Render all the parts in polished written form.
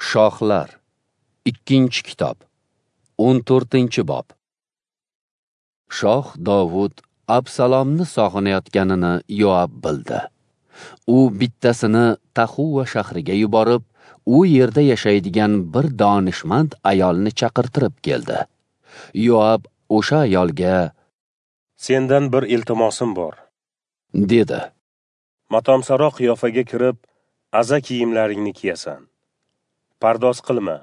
Shohlar, 2-kitob, 14-bob. Shoh Dovud Absalomni sog'inayotganini Yoab bildi. U bittasini Tahuva shahriga yuborib, u yerda yashaydigan bir donishmand ayolni chaqirtirib keldi. Yoab o'sha ayolga: "Sendan bir iltimosim bor", dedi. "Matomsaro qiyofaga kirib, aza kiyimlaringni kiyasan. Pardoz qilma.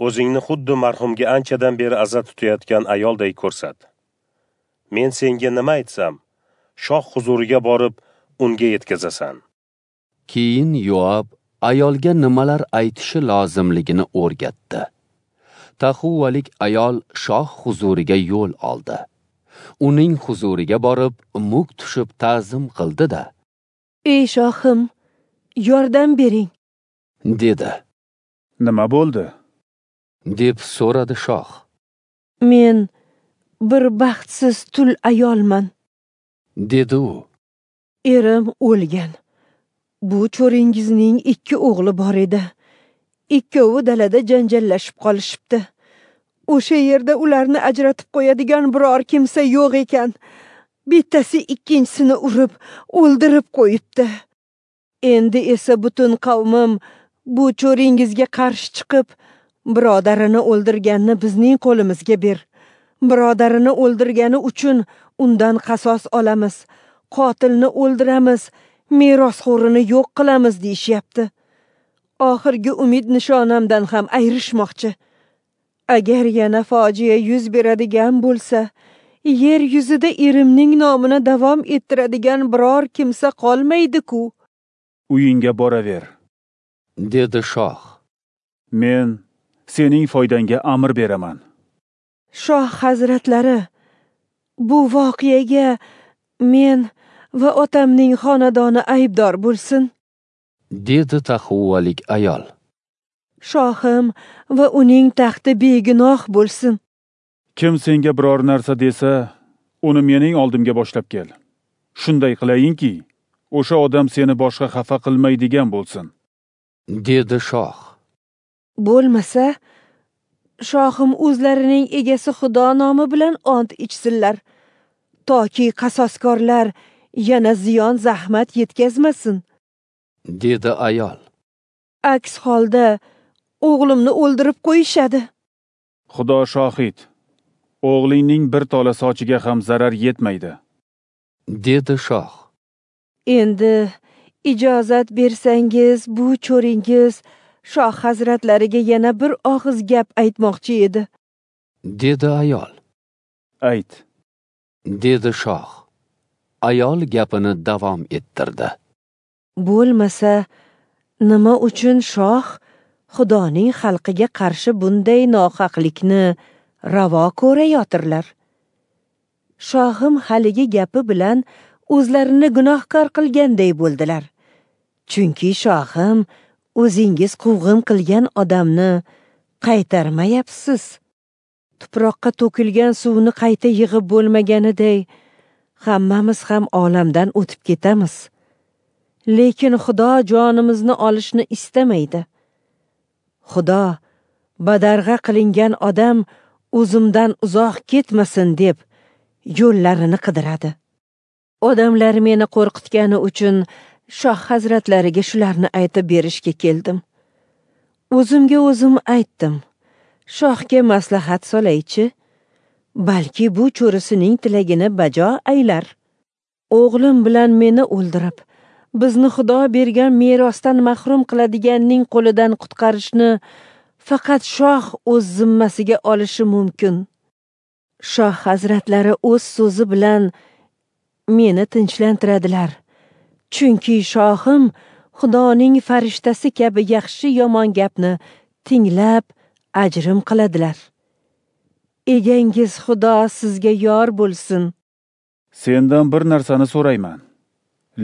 O'zingni xuddi marhumga anchadan beri aza tutayotgan ayolday ko'rsat. Men senga nima aytsam, shoh huzuriga borib, unga yetkazasan." Keyin Yoab ayolga nimalar aytishi lozimligini o'rgatdi. Tahuvalik ayol shoh huzuriga yo'l oldi. Uning huzuriga borib, muk tushib ta'zim qildi-da: "Ey shohim, yordam bering", dedi. "Nima bo'ldi?" deb so'radi shoh. "Men bir baxtsiz tul ayolman", dedi u. "Erim o'lgan. Bu cho'ringizning 2 o'g'li bor edi. Ikkovi dalada janjallashib qolishibdi. O'sha yerda ularni ajratib qo'yadigan biror kimsa yo'q ekan. Bittasi ikkinchisini urib, o'ldirib qo'yibdi. Endi esa butun qavmim bu cho'ringizga qarshi chiqib, birodarini o'ldirganni bizning qo'limizga ber. Birodarini o'ldirgani uchun undan qasos olamiz, qotilni o'ldiramiz, merosxo'rini yo'q qilamiz deyishyapti. Oxirgi umid nishonamdan ham ayrishmoqchi. Agar yana fojia yuz beradigan bo'lsa, yer yuzida erimning nomini davom ettiradigan biror kimsa qolmaydi-ku." "Uyingga boraver", dedi shoh. "Men sening foydangga amr beraman." "Shoh hazratlari, bu voqeaga men va otamning xonadoni aybdor bo'lsin", dedi tahuvalik ayol. "Shohim va uning taxti begunoh bo'lsin." "Kim senga biror narsa desa, uni mening oldimga boshlab kel. Shunday qilayinki, o'sha odam seni boshqa xafa qilmaydigan bo'lsin", dedi shoh. "Bo'lmasa, shohim o'zlarining egasi Xudo nomi bilan ont ichsinlar, toki qasoskorlar yana ziyon zahmat yetkazmasin", dedi ayol. "Aks holda o'g'limni o'ldirib qo'yishadi." "Xudo shohid, o'g'lingning bir tola sochiga ham zarar yetmaydi", dedi shoh. "Endi ijozat bersangiz, bu cho'ringiz shoh hazratlariga yana bir og'iz gap aytmoqchi edi", dedi ayol. "Ayt", dedi shoh. Ayol gapini davom ettirdi. "Bo'lmasa, nima uchun shoh Xudoning xalqiga qarshi bunday nohaqlikni ravo ko'rayotirlar? Shohim haligi gapi bilan o'zlarini gunohkor qilganday bo'ldilar. Chunki shohim o'zingiz quvg'in qilgan odamni qaytarmayapsiz. Tuproqqa to'kilgan suvni qayta yig'ib bo'lmaganiday, hammamiz ham olamdan o'tib ketamiz. Lekin Xudo jonimizni olishni istamaydi. Xudo badarg'a qilingan odam o'zimdan uzoq ketmasin deb yo'llarini qidiradi. Odamlar meni qo'rqitgani uchun shoh hazratlariga shularni aytib berishga keldim. O'zimga o'zim aytdim: shohga maslahat solaychi, balki bu cho'risining tilagini bajo aylar. O'g'lim bilan meni o'ldirib, bizni Xudo bergan merosdan mahrum qiladiganning qo'lidan qutqarishni faqat shoh o'z zimmasiga olishi mumkin. Shoh hazratlari o'z so'zi bilan meni tinchlantiradilar. Chunki shohim Xudoning farishtasi kabi yaxshi yomon gapni tinglab ajrim qiladilar. Egangiz Xudo sizga yor bo'lsin." "Sendan bir narsani so'rayman,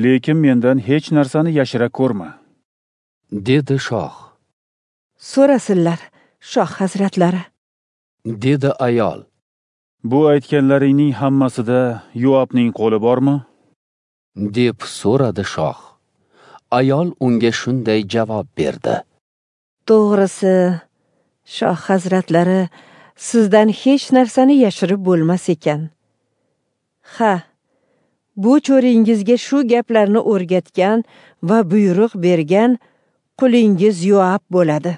lekin mendan hech narsani yashira ko'rma", dedi shoh. "So'rasinlar, shoh hazratlari", dedi ayol. "Bu aytganlaringning hammasida Yoabning qo'li bormi?" deb so'radi shoh. Ayol unga shunday javob berdi: To'g'risi, shoh hazratlari, sizdan hech narsani yashirib bo'lmas ekan. Ha, bu cho'ringizga shu gaplarni o'rgatgan va buyruq bergan qulingiz Yoab bo'ladi.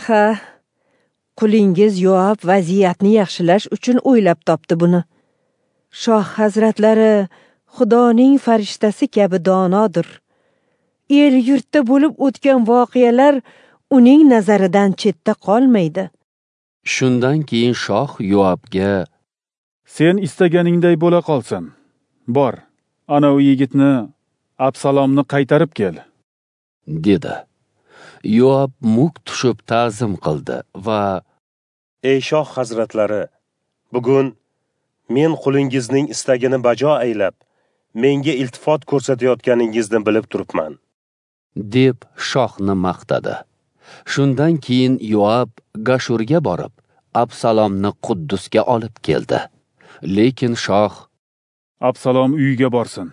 Ha, qulingiz Yoab vaziyatni yaxshilash uchun o'ylab topdi buni. Shoh hazratlari Xudoning farishtasi kabi donodir. El yurtda bo'lib o'tgan voqealar uning nazaridan chetda qolmaydi. Shundan keyin shoh Yoabga: Sen istaganingday bo'la qolsin. Bor, ana u yigitni, Absalomni qaytarib kel, dedi. Yoab muk tushib ta'zim qildi va: Ey shoh hazratlari, bugun men qulingizning istagini bajo aylab, menga iltifot ko'rsatayotganingizni bilib turibman, deb shohni maqtadi. Shundan keyin Yoab Gashurga borib, Absalomni Quddusga olib keldi. Lekin shoh: Absalom uyiga borsin,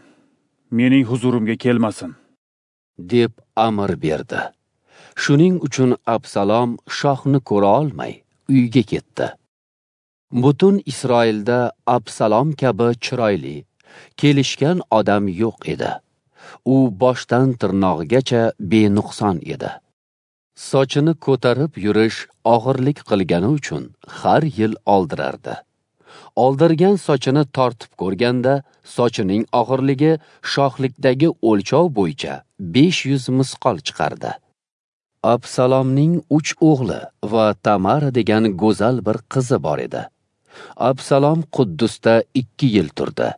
mening huzurimga kelmasin, deb amr berdi. Shuning uchun Absalom shohni ko'ra olmay uyga ketdi. Butun Isroilda Absalom kabi chiroyli, kelishgan odam yo'q edi. U boshdan tirnog'igacha benuqson edi. Sochini ko'tarib yurish og'irlik qilgani uchun har yil oldirardi. Oldirgan sochini tortib ko'rganda, sochining og'irligi shohlikdagi o'lchov bo'yicha 500 misqol chiqardi. Absalomning 3 o'g'li va Tamara degan go'zal bir qizi bor edi. Absalom Quddusda 2 yil turdi,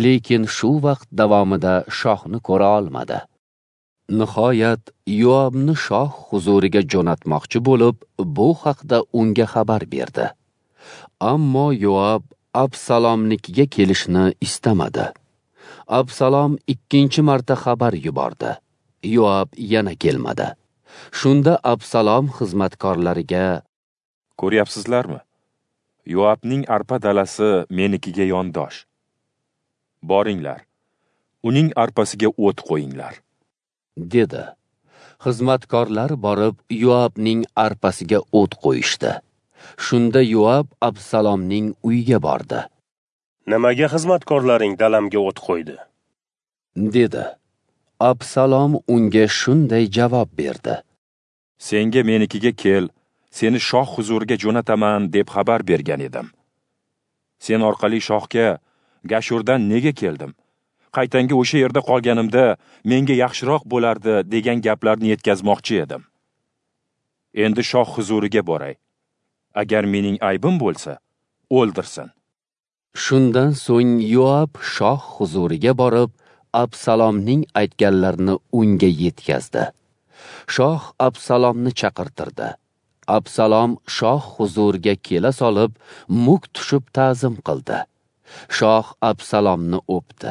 lekin shu vaqt davomida shohni ko'ra olmadi. Nihoyat Yoabni shoh huzuriga jo'natmoqchi bo'lib, bu haqda unga xabar berdi. Ammo Yoab Absalomnikiga kelishni istamadi. Absalom 2-chi marta xabar yubordi. Yoab yana kelmadi. Shunda Absalom xizmatkorlariga: Ko'ryapsizlarmi? Yoabning arpa dalasi menikiga yondosh. Boringlar, uning arpasiga o't qo'yinglar, dedi. Xizmatkorlar borib Yoabning arpasiga o't qo'yishdi. Shunda Yoab Absalomning uyiga bordi. Nimaga xizmatkorlaring dalamga o't qo'ydi? Dedi. Absalom unga shunday javob berdi: Senga menikiga kel, seni shoh huzuriga jo'nataman deb xabar bergan edim. Sen orqali shohga Gashurdan nega keldim? Qaytanga o'sha yerda qolganimda menga yaxshiroq bo'lardi degan gaplarni yetkazmoqchi edim. Endi shoh huzuriga boray. Agar mening aybim bo'lsa, o'ldirsin. Shundan so'ng Yoab shoh huzuriga borib, Absalomning aytganlarini unga yetkazdi. Shoh Absalomni chaqirtirdi. Absalom shoh huzuriga kela solib, muk tushib ta'zim qildi. Shoh Absalomni o'pdi.